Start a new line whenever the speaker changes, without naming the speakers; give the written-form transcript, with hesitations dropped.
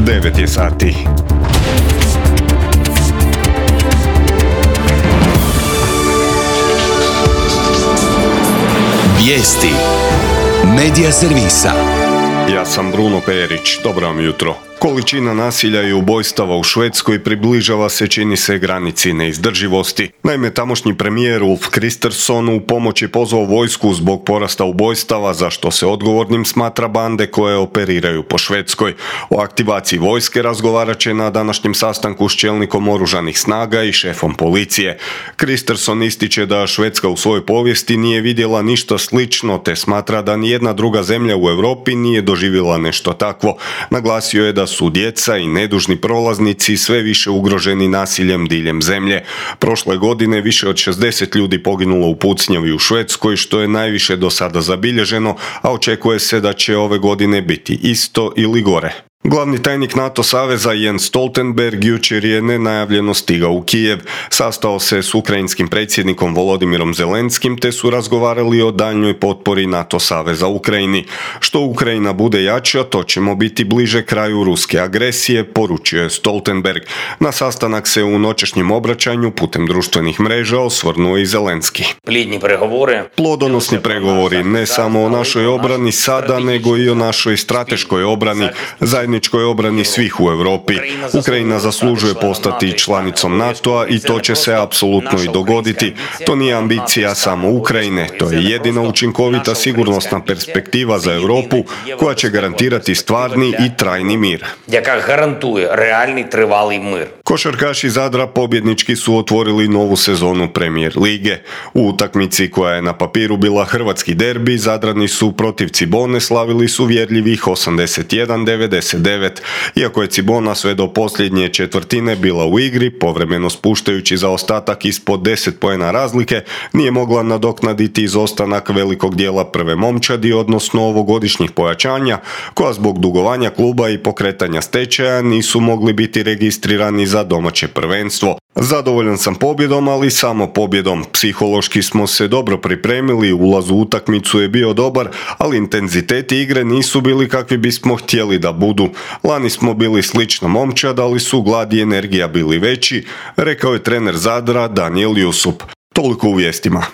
9 je sati.
Vijesti Medija servisa.
Ja sam Bruno Perić, dobro vam jutro. Količina nasilja i ubojstava u Švedskoj približava se, čini se, granici neizdrživosti. Naime, tamošnji premijer Ulf Kristersson u pomoć je pozvao vojsku zbog porasta ubojstava, za što se odgovornim smatra bande koje operiraju po Švedskoj. O aktivaciji vojske razgovarat će na današnjem sastanku s čelnikom oružanih snaga i šefom policije. Kristersson ističe da Švedska u svojoj povijesti nije vidjela ništa slično, te smatra da nijedna druga zemlja u Europi nije doživjela nešto takvo. Naglasio je da su djeca i nedužni prolaznici sve više ugroženi nasiljem diljem zemlje. Prošle godine više od 60 ljudi poginulo u pucnjavi u Švedskoj, što je najviše do sada zabilježeno, a očekuje se da će ove godine biti isto ili gore. Glavni tajnik NATO saveza Jens Stoltenberg jučer je nenajavljeno stigao u Kijev. Sastao se s ukrajinskim predsjednikom Volodimirom Zelenskim te su razgovarali o daljnjoj potpori NATO saveza Ukrajini. Što Ukrajina bude jača, to ćemo biti bliže kraju ruske agresije, poručio je Stoltenberg. Na sastanak se u noćašnjem obraćanju putem društvenih mreža osvrnuo i Zelenski. Plodonosni pregovori ne samo o našoj obrani sada, nego i o našoj strateškoj obrani, zajedničkoj obrani svih u Europi. Ukrajina zaslužuje postati članicom NATO-a i to će se apsolutno i dogoditi. To nije ambicija samo Ukrajine, to je jedina učinkovita sigurnosna perspektiva za Europu koja će garantirati stvarni i trajni mir. Košarkaši Zadra pobjednički su otvorili novu sezonu Premier lige. U utakmici koja je na papiru bila hrvatski derbi, Zadrani su protiv Cibone slavili su uvjerljivih 81-99. Iako je Cibona sve do posljednje četvrtine bila u igri, povremeno spuštajući zaostatak ispod 10 poena razlike, nije mogla nadoknaditi izostanak velikog dijela prve momčadi, odnosno ovogodišnjih pojačanja, koja zbog dugovanja kluba i pokretanja stečaja nisu mogli biti registrirani za domaće prvenstvo. Zadovoljan sam pobjedom, ali samo pobjedom. Psihološki smo se dobro pripremili, ulaz u utakmicu je bio dobar, ali intenziteti igre nisu bili kakvi bismo htjeli da budu. Lani smo bili slična momčad, ali su glad i energija bili veći, rekao je trener Zadra Daniel Jusup. Toliko u vijestima.